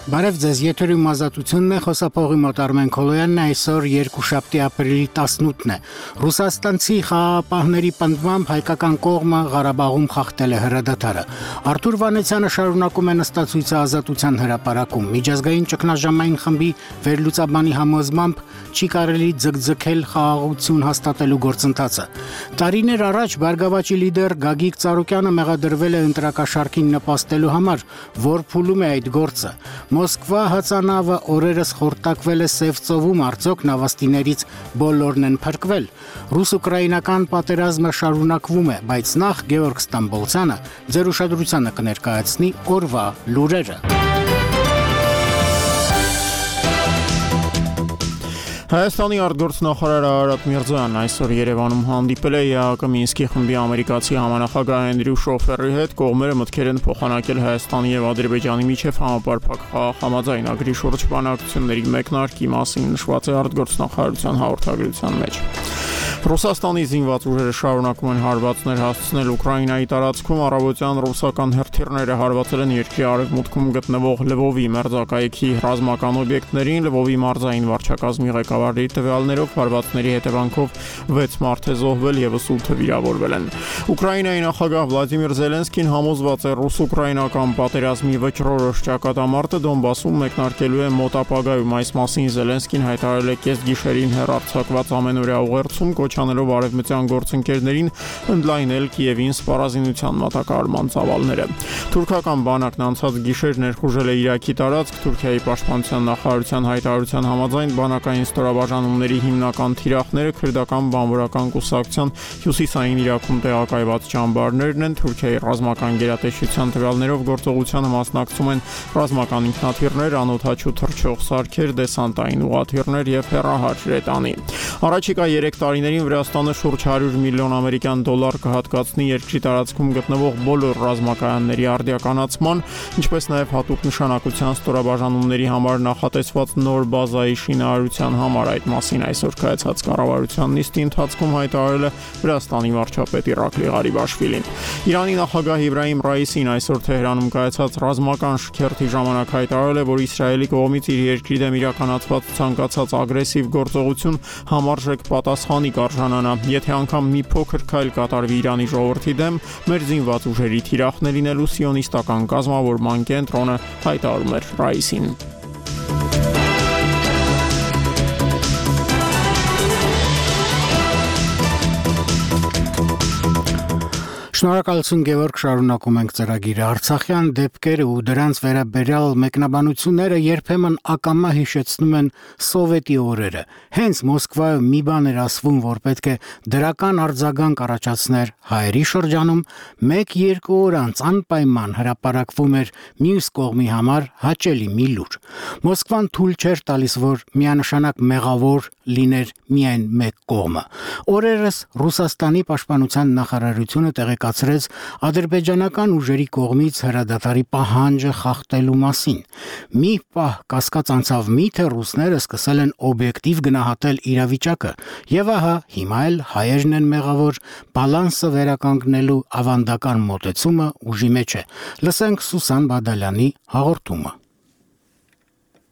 Բարև ձեզ, եթերում ազատությունն է, խոսափողի մոտ Արմեն Քոլոյանն, այսօր երկուշաբթի ապրիլի 18-ն է։ Ռուսաստանցի խաղաղապահների պնդմամբ հայկական կողմը Ղարաբաղում խախտել է հրադադարը։ Արթուր Վանեցյանը շարունակում է նստածույցը Ազատության հրապարակում։ Միջազգային ճգնաժամային խմբի վերլուծաբանի համոզմամբ չի կարելի ձգձգել խաղաղություն հաստատելու գործընթացը։ Տարիներ առաջ Բարգավաճի լիդեր Գագիկ Ծառուկյանը մեղադրվել է ընտրակաշարքին նպաստելու համար, որ փուլում է այդ գործը։ Մոսկվա հացանավը օրերս խորտակվել է Սև ծովում, արդյոք նավաստիներից բոլորն են փրկվել։ Ռուս-ուկրաինական պատերազմը շարունակվում է, բայց նախ Գևորգ Ստամբոլցյանը ձեր ուշադրությանը կներկայացնի օրվա լուրերը։ Հայաստանի արտգործնախարար Արարատ Միրզոյանն այսօր Երևանում հանդիպել է ԵԱՀԿ Մինսկի խմբի ամերիկացի համանախագահ Էնդրյու Շոֆերի հետ, կողմերը մտքեր են փոխանակել Հայաստանի եւ Ադրբեջանի միջև համապարփակ համաձայնագրի շուրջ բանակցությունների մեկնարկի մասին նշված է արտգործնախարարության հաղորդագրության մեջ։ Ռուսաստանի զինված ուժերը շարունակում են հարվածներ հասցնել Ուկրաինայի տարածքում, առավոտյան ռուսական հրթիռները հարվածել են երկրի արևմուտքում գտնվող Լվովի մերձակայքի ռազմական օբյեկտներին, Լվովի մարզային վարչակազմի ղեկավարի տվյալներով հարվածների հետևանքով 6 մարդ է զոհվել, եւս 8-ը վիրավորվել են։ Ուկրաինայի նախագահ Վլադիմիր Զելենսկին համոզված է ռուս-ուկրաինական պատերազմի վճռորոշ ճակատամարտը Դոնբասում մեկնարկելու է մոտ ապագայում։ Այս մասին Զելենսկին հայտարարել է կեսգիշերին հեռարձակված ամենօրյա ուղերձում, կոչանելով արևմտյան գործընկերներին ընդլայնել Կիևին սպառազինության մատակարարման ծավալները։ Թուրքական բանակն անցած գիշեր ներխուժել է Իրաքի տարածք, Թուրքիայի պաշտպանության նախարարության հայտարարության համաձայն բանակային ստորաբաժանումների հիմնական թիրախները քրդական բանվորական կուսակցության հյուսիսային Իրաքում տեղակայված ճամբարներն են։ Թուրքիայի ռազմական գերատեսչության տվյալներով գործողությանը մասնակցում են ռազմական ինքնաթիռներ, անօդաչու թռչող սարքեր, դեսանտային ուղղաթիռներ եւ հեռահար հրետանի։ Առաջիկա 3 տարիներին Վրաստանը շուրջ 100 միլիոն ամերիկյան դոլար կհատկացնի երկրի տարածքում գտնվող բոլոր ռազմակայանների արդիականացման, ինչպես նաև հատուկ նշանակության ստորաբաժանումների համար նախատեսված նոր բազայի շինարարության համար։ Այդ մասին այսօր կայացած կառավարության նիստի ընթացքում հայտարարել է Վրաստանի վարչապետ Իրակլի Ղարիբաշվիլին։ Իրանի նախագահ Իբրահիմ Ռայիսին այսօր Թեհրանում կայացած ռազմական շքերթի ժամանակ հայտարարել է, որ Իսրայելի կողմից իր երկրի դեմ իրականացված ցանկացած ագրեսիվ գործողություն համարժեք պատասխանի կարժանանա, եթե անգամ մի փոքր քայլ կատարվի Իրանի ժողովրդի դեմ, մեր զինված ուժերի թիրախն է լինելու սիոնիստական կազմավորման կենտրոնը, հայտարարում էր Ռայիսին։ Շնորհակալություն Գևորգ, շարունակում ենք ծրագիրը։ Արցախյան դեպքերը ու դրանց վերաբերյալ մեկնաբանությունները երբեմն ակամա հիշեցնում են սովետի օրերը։ Հենց Մոսկվայում մի բան էր ասվում, որ պետք է դրական արձագանք առաջացներ հայերի շրջանում, 1-2 օր անց անպայման հրապարակվում էր մյուս կողմի համար հաճելի մի լուր։ Մոսկվան թույլ չէր տալիս, որ միանշանակ մեղավոր լիներ միայն մեկ կողմը։ Օրերս Ռուսաստանի պաշտպանության նախարարությունը տեղեկացրեց ադրբեջանական ուժերի կողմից հրադադարի պահանջը խախտելու մասին։ Մի պահ կասկած անցավ, միթե ռուսները սկսել են օբյեկտիվ գնահատել իրավիճակը, եւ ահա հիմա էլ հայերն են մեղավոր, բալանսը վերականգնելու ավանդական մոտեցումը ուժի մեջ է։ Լսենք Սուսան Բադալյանի հաղորդումը։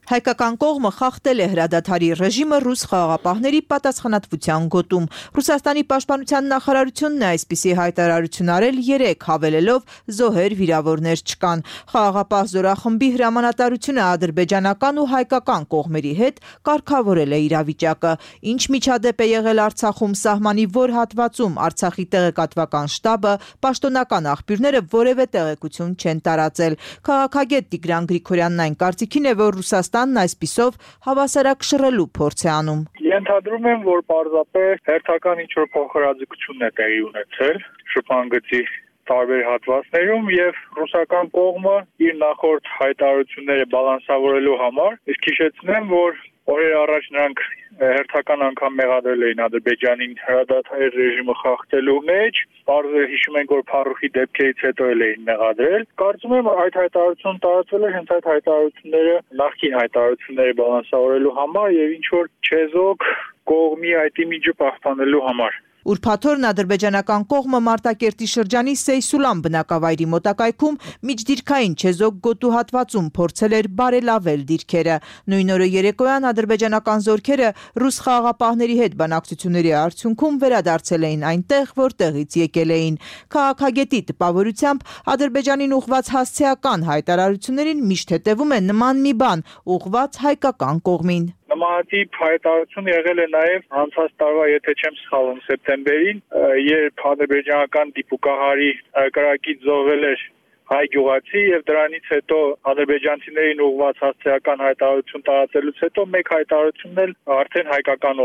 Հայկական կողմը խախտել է հրադադարի ռեժիմը ռուս խաղաղապահների պատասխանատվության գոտում։ Ռուսաստանի պաշտպանության նախարարությունն է այսպիսի հայտարարություն արել 3, հավելելով զոհեր վիրավորներ չկան։ Խաղաղապահ զորախմբի հրամանատարությունը ադրբեջանական ու հայկական կողմերի հետ կարգավորել է իրավիճակը։ Ինչ միջադեպ է եղել Արցախում, սահմանի որ հատվածում Արցախի տեղեկատվական շտաբը, պաշտոնական աղբյուրները որևէ տեղեկություն չեն տարածել։ Քաղաքագետ Տիգրան Գրիգորյանն այն կարծիքին է, որ Ռուսաստանն այսպիսով հավասարակշռելու փորձ է անում։ Ենթադրում եմ, որ պարզապես հերթական ինչ-որ փոխհրաձգություն է տեղի ունեցել շփանգծի տարբեր հատվածներում եւ ռուսական կողմը իր նախորդ հայտարարությունները բալանսավորելու համար, իսկ հիշեցնեմ, որ օրեր առաջ նրանք հերթական անգամ մեղադրել էին Ադրբեջանին հրադադարի ռեժիմը խախտելու մեջ, բարձր հիշում ենք, որ Փարուխի դեպքերից հետո էլ էին մեղադրել։ Կարծում եմ այդ հայտարարությունը տարածվել է հենց այդ հայտարարությունները նախկին հայտարարությունները բալանսավորելու համար եւ ինչ որ չեզոք կողմի այդ իմիջը պահպանելու համար։ Ուրբաթօրն ադրբեջանական կողմը Մարտակերտի շրջանի Սեյսուլան բնակավայրի մոտակայքում միջդիրքային չեզոք գոտու հատվածում փորձել էր բարելավել դիրքերը։ Նույն օրը երեկոյան ադրբեջանական զորքերը ռուս խաղաղապահների հետ բանակցությունների արդյունքում վերադարձել էին այնտեղ, որտեղից եկել էին։ Քաղաքագետի տպավորությամբ Ադրբեջանին ուղղված հասցեական հայտարարություններին միշտ հետևում է նման մի բան, ուղղված հայկական կողմին։ Նմանատիպ հայտարարություն եղել է նաև անցած տարվա, եթե չեմ սխալվում, սեպտեմբերին, երբ ադրբեջանական դիպուկահարի կրակից զոհվել էր հայ գյուղացի եւ դրանից հետո ադրբեջանցիներին ուղղված հասցեական հայտարարություն տարածելուց հետո մեկ հայտարարությունն էլ արդեն հայկական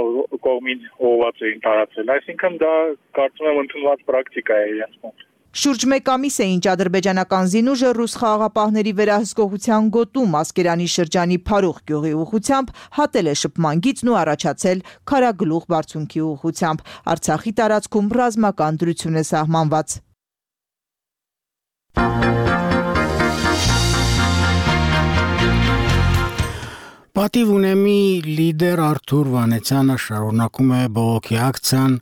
կողմին ուղղված էին տարածել։ Այսինքն դա կարծում եմ ընդունված պրակտիկա է իրենց մոտ։ Շուրջ մեկ ամիս է ինչ ադրբեջանական զինուժը ռուս խաղաղապահների վերահսկողության գոտու Մասկերանի շրջանի Փարուխ գյուղի ուղղությամբ հատել է շփման գիծն ու առաջացել Քարագլուխ բարձունքի ուղղությամբ։ Արցախի տարածքում ռազմական դրություն է սահմանված։ Պատիվ ունեմի լիդեր Արթուր Վանեցյանը շարունակում է բողոքի ակցիան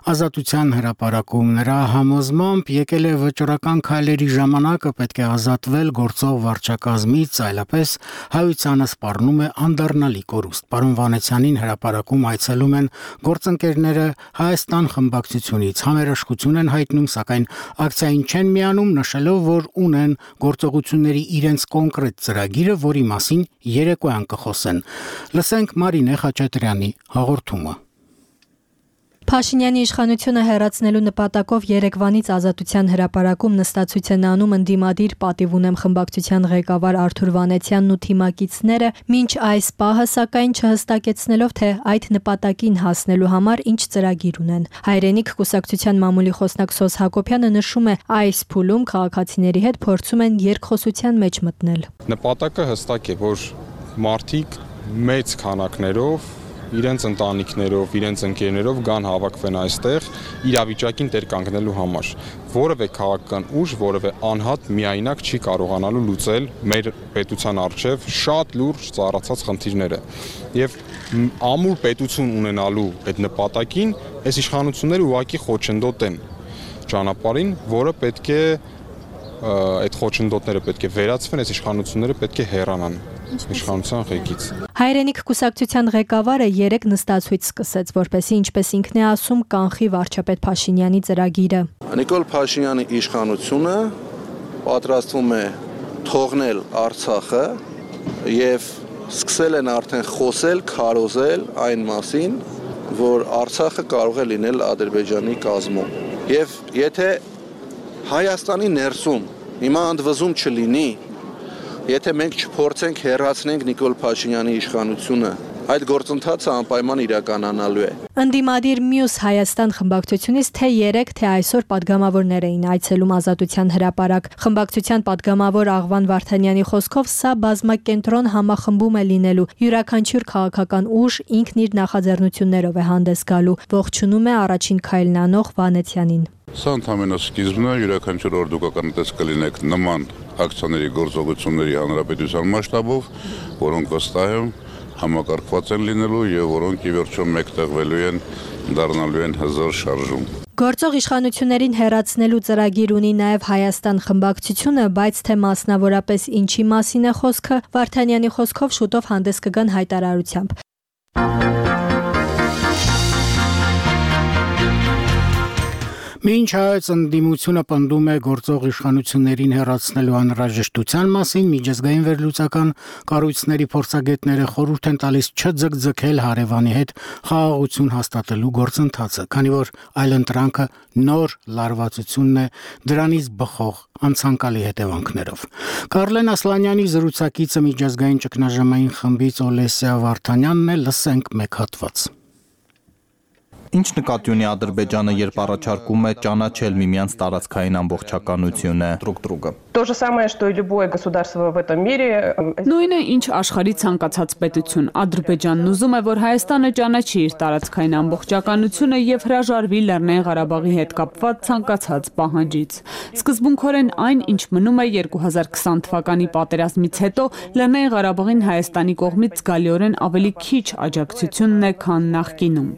Ազատության հրապարակում նրա համոզմամբ եկել է վճռական քայլերի ժամանակը պետք է ազատվել գործող վարչակազմից, այլապես հայությանը սպառնում է անդառնալի կորուստ։ Պարոն Վանեցյանին հրապարակում այցելում են գործընկերները Հայաստան խմբակցությունից, համերաշխություն են հայտնում, սակայն ակցիային չեն միանում, նշելով, որ ունեն գործողությունների իրենց կոնկրետ ծրագիրը, որի մասին երեկոյան կխոսեն։ Լսենք Մարինե Խաչատրյանի հաղորդումը։ Փաշինյանի իշխանությունը հեռացնելու նպատակով Երևանից Ազատության հրապարակում նստածույց են անում ընդդիմադիր Պատիվ ունեմ խմբակցության ղեկավար Արթուր Վանեցյանն ու թիմակիցները, մինչ այս պահը սակայն չհստակեցնելով, թե այդ նպատակին հասնելու համար ինչ ծրագիր ունեն։ Հայրենիք կուսակցության մամուլի խոսնակ Սոս Հակոբյանը նշում է, այս փուլում քաղաքացիների հետ փորձում են երկխոսության մեջ մտնել։ Նպատակը հստակ է, որ մարդիկ մեծ քանակներով իրենց ընտանիքներով, իրենց ընկերներով գան հավաքվեն այստեղ իրավիճակին տեր կանգնելու համար։ Որևէ քաղաքական ուժ, որևէ անհատ միայնակ չի կարողանալու լուծել մեր պետության առջև շատ լուրջ ծառացած խնդիրները։ Եվ ամուր պետություն ունենալու այդ նպատակին այս իշխանությունները ուղղակի խոչընդոտ են ճանապարհին, որը պետք է այդ խոչընդոտները պետք է վերացվեն, այս իշխանությունները պետք է հեռանան իշխանության ղեկից։ Հայրենիք կուսակցության ղեկավարը 3 նստածույց սկսեց, որպեսզի ինչպես ինքն է ասում, կանխի վարչապետ Փաշինյանի ծրագիրը։ Նիկոլ Փաշինյանի իշխանությունը պատրաստվում է թողնել Արցախը եւ սկսել են արդեն խոսել, քարոզել այն մասին, որ Արցախը կարող է լինել Ադրբեջանի կազմում։ Եվ եթե Հայաստանի ներսում հիմա ընդվզում չլինի, եթե մենք չփորձենք հեռացնենք Նիկոլ Փաշինյանի իշխանությունը, այդ գործընթացը անպայման իրականանալու է։ Ընդդիմադիր մյուս Հայաստան խմբակցությունից թե 3, թե այսօր падգամավորներ էին այցելում Ազատության հրապարակ։ Խմբակցության падգամավոր Աղվան Վարդանյանի խոսքով սա բազմակենտրոն համախմբում է լինելու։ Յուրաքանչյուր քաղաքական ուժ ինքն իր նախաձեռնություններով է հանդես գալու։ Ողջունում է առաջին քայլն անող Վանեցյանին։ Սա ընդհանրապես սկիզբն է, յուրաքանչյուր օր դուք ականատես կլինեք նման ակցիաների գործողությունների հանրապետության մասշտաբով, որոնք վստահ եմ համակարգված են լինելու եւ որոնք ի վերջո մեկտեղվելու են, դառնալու են հզոր շարժում։ Գործող իշխանություններին հեռացնելու ծրագիր ունի նաև Հայաստան խմբակցությունը, բայց թե մասնավորապես ինչի մասին է խոսքը, Վարդանյանի խոսքով շուտով հանդես կգան հայտարարությամբ։ Մինչ հայոց ընդդիմությունը պնդում է գործող իշխանություններին հեռացնելու անհրաժեշտության մասին, միջազգային վերլուծական կառույցների փորձագետները խորհուրդ են տալիս չձգձգել հարևանի հետ խաղաղություն հաստատելու գործընթացը, քանի որ այլընտրանքը նոր լարվածությունն է դրանից բխող անցանկալի հետևանքներով։ Կարլեն Ասլանյանի զրուցակիցը միջազգային ճգնաժամային խմբից Օլեսիա Վարդանյանն է, լսենք մեկ հատված։ Ինչ նկատի ունի Ադրբեջանը, երբ առաջարկում է ճանաչել միմյանց տարածքային ամբողջականությունը։ То же самое, что и любое государство в этом мире. Նույնը ինչ աշխարհի ցանկացած պետություն, Ադրբեջանն ուզում է, որ Հայաստանը ճանաչի իր տարածքային ամբողջականությունը եւ հրաժարվի Լեռնային Ղարաբաղի հետ կապված ցանկացած պահանջից։ Սկզբունքորեն այն, ինչ մնում է 2020 թվականի պատերազմից հետո, Լեռնային Ղարաբաղին Հայաստանի կողմից զգալիորեն ավելի քիչ աջակցությունն է, քան նախկինում։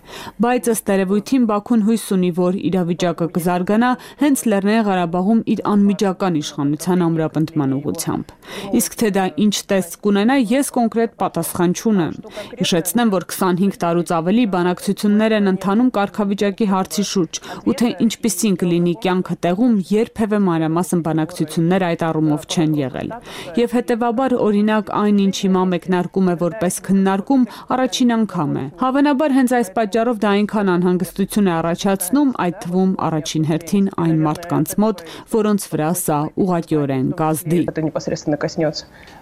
Բայց ըստ տերևույթին Բաքուն հույս ունի, որ իրավիճակը կզարգանա հենց Լեռնային Ղարաբաղում իր անմիջական իշխանության ամրապնդման ուղղությամբ։ Իսկ թե դա ինչ տեսք կունենա, ես կոնկրետ պատասխան չունեմ։ Հիշեցնեմ, որ 25 տարուց ավելի բանակցություններ են ընթանում կարգավիճակի հարցի շուրջ, ու թե ինչպիսին կլինի կյանքը տեղում, երբևէ մանրամասն բանակցություններ այդ առումով չեն եղել։ Եվ հետևաբար, օրինակ, այն ինչ հիմա մեկնարկում է որպես քննարկում, առաջին անգամ է։ Հավանաբար հենց այս պատճառով դա այնքան անհանգստություն է առաջացնում, այդ թվում առաջին հերթին այն մարդկանց մոտ, որոնց վրա սա ուղղակիորեն կազդի։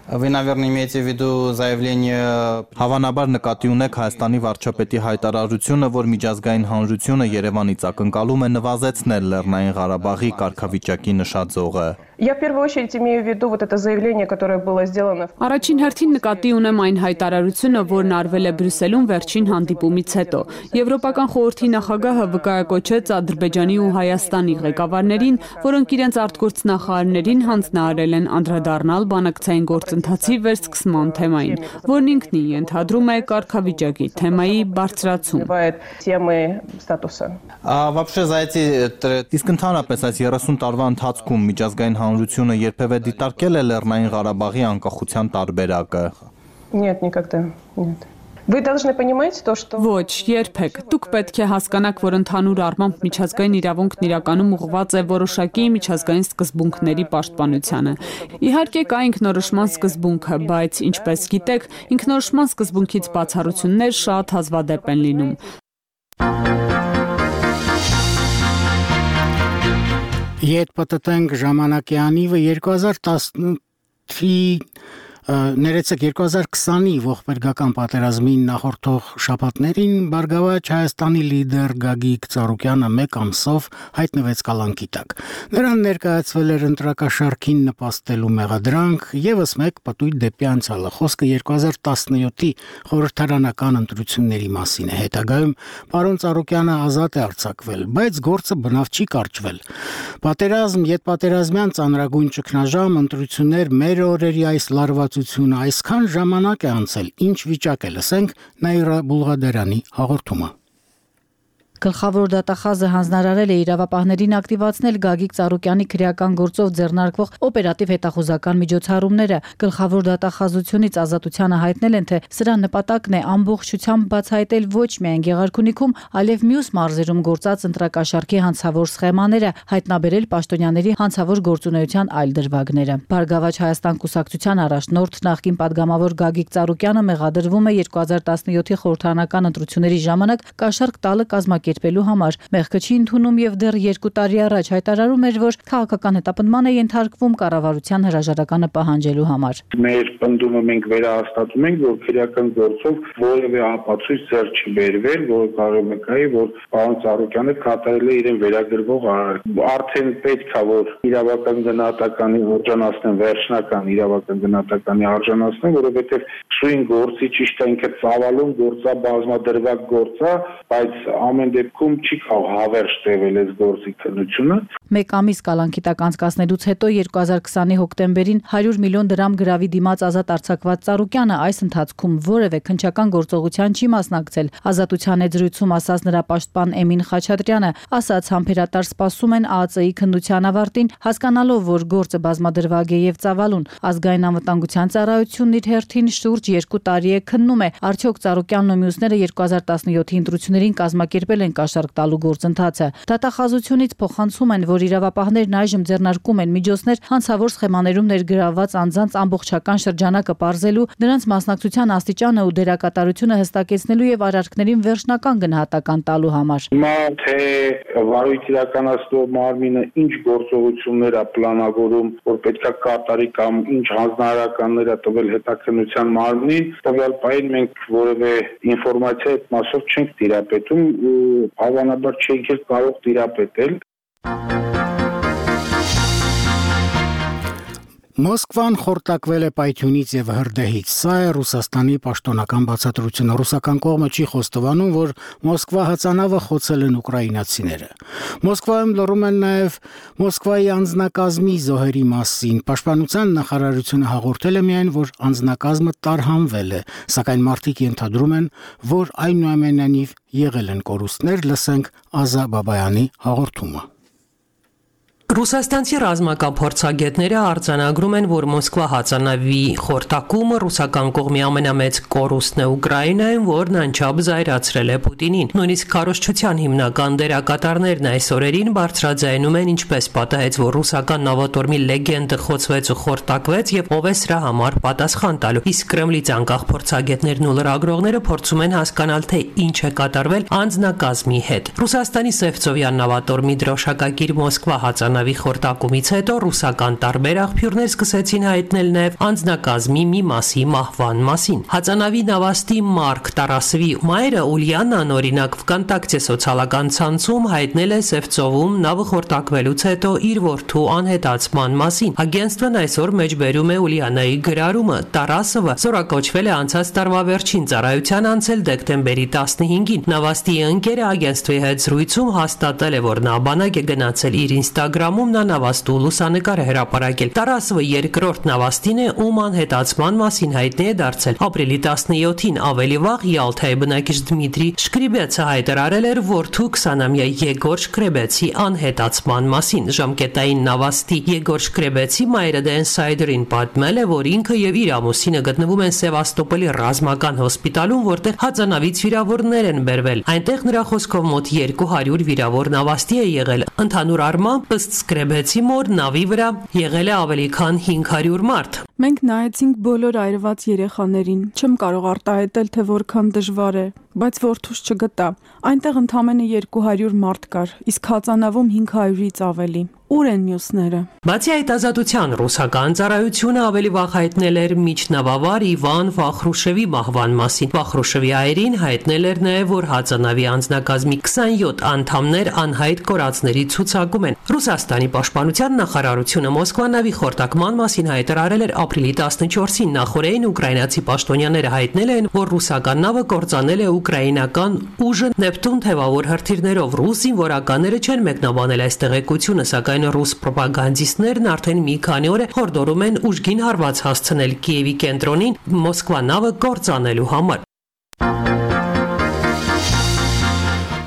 Вы, наверное, имеете в виду заявление Հավանաբար նկատի ունեք Հայաստանի վարչապետի հայտարարությունը, որ միջազգային հանրությունը Երևանից ակնկալում է նվազեցնել Լեռնային Ղարաբաղի կարգավիճակի նշաձողը։ Я в первую очередь имею в виду вот это заявление, которое было сделано. Առաջին հերթին նկատի ունեմ այն հայտարարությունը, որն արվել է Բրյուսելում վերջին հանդիպումից հետո։ Եվրոպական խորհրդի նախագահը վկայակոչեց Ադրբեջանի ու Հայաստանի ղեկավարներին, որոնք իրենց արտգործնախարարներին հանձնարարել են անդրադառնալ բանակցային գործընթացի վերսկսման թեմային, որն ինքնին ենթադրում է կարգավիճակի թեմայի բարձրացում։ Вообще за эти իսկ ընդհանրապես այս 30 տարվա ընթացքում միջազգային հանրությունը երբևէ դիտարկել է Լեռնային Ղարաբաղի անկախության տարբերակը։ Нет, никогда. Нет. Вы должны понимать то, что Ոչ, երբեք։ Դուք պետք է հասկանաք, որ ընդհանուր առմամբ միջազգային իրավունքն իրականում ուղղված է որոշակի միջազգային սկզբունքների պաշտպանությանը։ Իհարկե կա ինքնորոշման սկզբունքը, բայց ինչպես գիտեք, ինքնորոշման սկզբունքից բացառություններ շատ հազվադեպ են լինում։ Ետ պատտենք ժամանակի անիվը 2020-ի ողբերգական պատերազմին նախորդող շաբաթներին Բարգավաճ Հայաստանի լիդեր Գագիկ Ծառուկյանը մեկ ամսով հայտնվեց կալանքի տակ։ Նրան ներկայացվել էր ընտրակաշարքին նպաստելու մեղադրանք, եւս մեկ պտույտ դեպի անցյալը։ Խոսքը 2017-ի խորհրդարանական ընտրությունների մասին է։ Հետագայում պարոն Ծառուկյանը ազատ է արձակվել, բայց գործը բնավ չի կարճվել։ Պատերազմ, յետպատերազմյան ծանրագույն ճգնաժամ, ընտրություններ, մեր օրերի այս լարվածությունը, այսքան ժամանակ է անցել, ինչ վիճակ է, լսենք Նաիրա Բուլղադարյանի հաղորդումը։ Գլխավոր դատախազը հանձնարարել է իրավապահներին ակտիվացնել Գագիկ Ծառուկյանի քրեական գործով ձեռնարկվող օպերատիվ հետախուզական միջոցառումները։ Գլխավոր դատախազությունից ազատությանը հայտնել են, թե սրա նպատակն է ամբողջությամբ բացահայտել ոչ միայն Գեղարքունիքում, այլև մյուս մարզերում գործած ընտրակաշարքի հանցավոր սխեմաները, հայտնաբերել պաշտոնյաների հանցավոր գործունեության այլ դրվագները։ Բարգավաճ Հայաստան կուսակցության առաջնորդ նախկին падգամավոր Գագիկ Ծառուկյանը մեղադրվում է 2017-ի խորհրդարանական ընտրությունների ժամանակ կաշառք տալը կազմակերպելու համար։ Մեղքը չի ընդունում եւ դեռ 2 տարի առաջ հայտարարում էր, որ քաղաքական հետապնդման է ենթարկվում կառավարության հրաժարականը պահանջելու համար։ Մեր պնդումը մենք վերահաստատում ենք, որ քրեական գործով որևէ ապացույց ձեռք չի բերվել, որ կարող է կայի, որ պարոն Ծառուկյանը կատարել է իրեն վերագրվող արարք։ Արդեն պետք է որ իրավական գնահատականի արժանացնեն, վերջնական իրավական գնահատականի արժանացնեն, որովհետեւ սույն գործի ճիշտ է ինքը ծավալուն գործա, բազմադրվակ գործա, բայց ամեն դեպքում չի կարող հավերժ տևել այս գործի քննությունը։ Մեկ ամիս կալանքի տակ անցկացնելուց հետո 2020-ի հոկտեմբերին 100 միլիոն դրամ գրավի դիմաց ազատ արձակված Ծառուկյանը այս ընթացքում որևէ քննչական գործողության չի մասնակցել։ Ազատության եզրույցում ասաց նրա պաշտպան Էմին Խաչատրյանը, ասաց համբերատար սպասում են ԱԱԾ-ի քննության ավարտին, հասկանալով, որ գործը բազմադրվագ է եւ ծավալուն։ Ազգային անվտանգության ծառայությունն իր հերթին շուրջ 2 տարի է քննում է, արդյոք Ծառուկյանն ու մյուսները 2017-ի ընտրություններին կազմակերպել են կաշառք տալու գործընթացը։ Դատախազությունից փոխանցում են, որ իրավապահներն այժմ ձեռնարկում են միջոցներ հանցավոր սխեմաներում ներգրավված անձանց ամբողջական շրջանակը պարզելու, նրանց մասնակցության աստիճանը ու դերակատարությունը հստակեցնելու եւ արարքներին վերջնական գնահատական տալու համար։ Հիմա թե վարույթ իրականացնող մարմինը ինչ գործողություններ է պլանավորում, որ պետքա կատարի կամ ինչ հանձնարարականներ է տվել հետաքննության մարմնին, տվյալ պահին մենք որևէ ինֆորմացիա այդ մասով չենք տիրապետում ու հավանաբար չենք կարող տիրապետել։ Մոսկվան խորտակվել է պայթյունից եւ հրդեհից։ Սա է Ռուսաստանի պաշտոնական բացատրությունը։ Ռուսական կողմը չի խոստովանում, որ Մոսկվա հածանավը խոցել են ուկրաինացիները։ Մոսկվայում լռում են նաեւ Մոսկվայի անձնակազմի զոհերի մասին։ Պաշտպանության նախարարությունը հաղորդել է միայն, որ անձնակազմը տարհանվել է, սակայն մարդիկ ենթադրում են, որ այնուամենայնիվ եղել են կորուստներ, լսենք Ազա Բաբայանի հաղորդումը։ Ռուսաստանցի ռազմական փորձագետները արձանագրում են, որ Մոսկվա հածանավի խորտակումը ռուսական կողմի ամենամեծ կորուստն է Ուկրաինայում, որն անչափ զայրացրել է Պուտինին։ Նույնիսկ քարոզչության հիմնական դերակատարներն այս օրերին բարձրաձայնում են, ինչպես պատահեց, որ ռուսական նավատորմի լեգենդը խոցվեց ու խորտակվեց եւ ով է սրա համար պատասխան տալու։ Իսկ Կրեմլից անկախ փորձագետներն ու լրագրողները փորձում են հասկանալ, թե ինչ է կատարվել անձնակազմի հետ։ Ռուսաստանի Սևծովյան նավատորմի դրոշակակիր Մոսկվա հածանավի խորտակումից հետո ռուսական տարբեր աղբյուրներ սկսեցին հայտնել նաև անձնակազմի մի մասի մահվան մասին։ Հածանավի նավաստի Մարկ Տարասովի մայրը Ուլիանան օրինակ վկանտակցի սոցիալական ցանցում հայտնել է Սևծովում նավը խորտակվելուց հետո իր որդու անհետացման մասին։ Ագենստվն այսօր մեջբերում է Ուլիանայի գրառումը։ Տարասովը զորակոչվել է անցած տարվա վերջին ծառայության անցել դեկտեմբերի 15-ին։ Նավաստի ընկերը ագենստվի հետ զրույցում հաստատել է, որ նա բանակ է գնացել իր Instagram-ում նա նավաստու լուսանկար է հրապարակել։ Տարասովը երկրորդ նավաստին է, ում անհետացման մասին հայտնի է դարձել։ Ապրիլի 17-ին ավելի վաղ Յալթայի բնակիչ Դմիտրի Շկրիբեցը հայտարարել էր որդու 20-ամյա Եգոր Շկրեբեցի անհետացման մասին։ Ժամկետային նավաստի Եգոր Շկրեբեցի մայրը The Insider-ին պատմել է, որ ինքը եւ իր ամուսինը գտնվում են Սևաստոպոլի ռազմական հոսպիտալում, որտեղ հածանավից վիրավորներ են բերվել։ Այնտեղ նրա խոսքով մոտ 200 վիրավոր նավաստի է եղել։ Ընդհանուր առմամբ ըստ Շկրեբեցի մոր նավի վրա եղել է ավելի քան 500 մարդ։ Մենք նայեցինք բոլոր այրված երեխաներին։ Չեմ կարող արտահայտել, թե որքան դժվար է, բայց որդուս չգտա։ Այնտեղ ընդամենը 200 մարդ կար, իսկ հածանավում 500-ից ավելի։ Ուր են մյուսները։ Բացի այդ ազատության ռուսական ծառայությունը ավելի վաղ հայտնել էր միջնավավար Իվան Վախրուշևի մահվան մասին։ Վախրուշևի այրին հայտնել էր նաև, որ հածանավի անձնակազմի 27 անդամներ անհայտ կորածների ցուցակում են։ Ռուսաստանի պաշտպանության նախարարությունը Մոսկվա նավի խորտակման մասին հայտարարել էր ապրիլի 14-ին։ Նախորդին ուկրաինացի պաշտոնյաները հայտնել են, որ ռուսական նավը կործանել է ուկրաինական ուժը Նեպտուն թևավոր հրթիռներով։ Ռուս զինվորականները չեն մեկնաբանել այս տեղեկությունը, սակայն ռուս պրոպագանդիստներն արդեն մի քանի օր հորդորում են ուժգին հարված հասցնել Կիևի կենտրոնին Մոսկվա նավը կործանելու համար։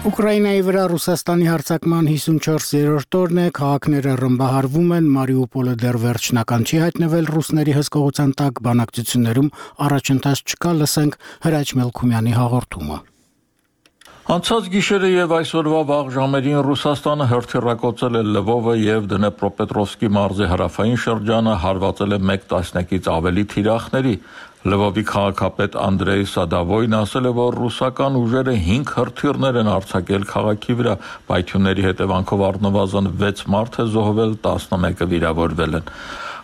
Ուկրաինայի վրա Ռուսաստանի հարձակման 54-րդ օրն է, քաղաքները ռմբահարվում են, Մարիուպոլը դեռ վերջնական չի հայտնվել ռուսների հսկողության տակ, բանակցություններում առաջընթաց չկա, լսենք Հրաչ Մելքումյանի հաղորդումը։ Անցած գիշերը եւ այսօրվա վաղ ժամերին Ռուսաստանը հրթիռակոծել է Լվովը եւ Դնեպրոպետրովսկի մարզի հարավային շրջանը, հարվածել է 1 տասնյակից ավելի թիրախների։ Լվովի քաղաքապետ Անդրեյ Սադավոյն ասել է, որ ռուսական ուժերը 5 հրթիռներ են արձակել քաղաքի վրա, պայթյունների հետևանքով առնվազն 6 մարդ է զոհվել, 11-ը վիրավորվել են։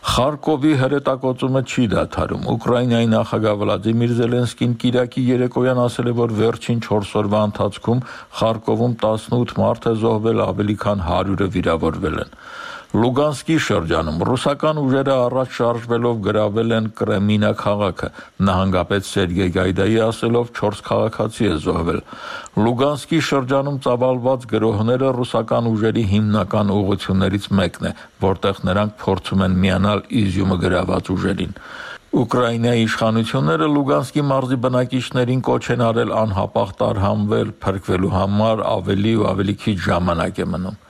Խարկովի հրետակոծումը չի դադարում։ Ուկրաինայի նախագահ Վլադիմիր Զելենսկին կիրակի երեկոյան ասել է, որ վերջին 4 օրվա ընթացքում Խարկովում 18 մարդ է զոհվել, ավելի քան 100-ը վիրավորվել են։ Լուգանսկի շրջանում ռուսական ուժերը առաջ շարժվելով գրավել են Կրեմինա քաղաքը։ Նահանգապետ Սերգեյ Գայդայի ասելով 4 քաղաքացի է զոհվել։ Լուգանսկի շրջանում ծավալված գրոհները ռուսական ուժերի հիմնական ուղղություններից մեկն է, որտեղ նրանք փորձում են միանալ Իզյումը գրաված ուժերին։ Ուկրաինայի իշխանությունները Լուգանսկի մարզի բնակիչներին կոչ են արել անհապաղ տարհանվել, փրկվելու համար ավելի ու ավելի քիչ ժամանակ է մնում։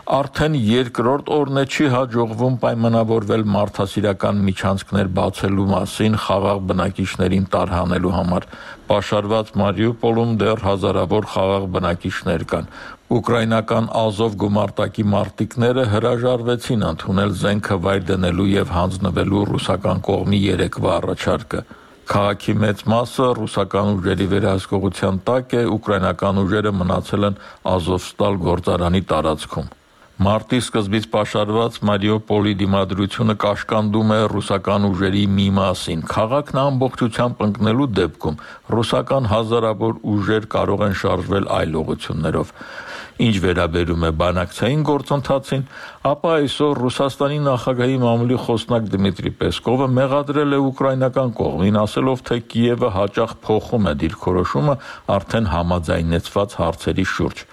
Արդեն երկրորդ օրն է չի հաջողվում պայմանավորվել մարդասիրական միջանցքներ բացելու մասին խաղաղ բնակիչներին տարհանելու համար։ Պաշարված Մարիուպոլում դեռ հազարավոր խաղաղ բնակիչներ կան։ Ուկրաինական Ազով գումարտակի մարտիկները հրաժարվեցին ընդունել զենքը վայր դնելու եւ հանձնվելու ռուսական կողմի երեկվա առաջարկը։ Քաղաքի մեծ մասը ռուսական ուժերի վերահսկողության տակ է, ուկրաինական ուժերը մնացել են Ազովստալ գործարանի տարածքում։ Մարտի սկզբից պաշարված Մարիուպոլի դիմադրությունը կաշկանդում է ռուսական ուժերի մի մասին։ Քաղաքն ամբողջությամբ ընկնելու դեպքում ռուսական հազարավոր ուժեր կարող են շարժվել այլ ուղղություններով։ Ինչ վերաբերում է բանակցային գործընթացին, ապա այսօր Ռուսաստանի նախագահի մամուլի խոսնակ Դմիտրի Պեսկովը մեղադրել է ուկրաինական կողմին, ասելով, թե Կիևը հաճախ փոխում է դիրքորոշումը արդեն համաձայնեցված հարցերի շուրջ։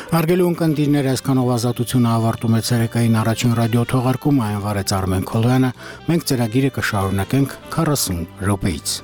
Հարգելի ունկնդիրներ, այսքանով ազատությունը ավարտում է ցերեկային առաջին ռադիո թողարկումը, այն վարեց Արմեն Քոլոյանը, մենք ծրագիրը կշարունակենք 40 րոպեից։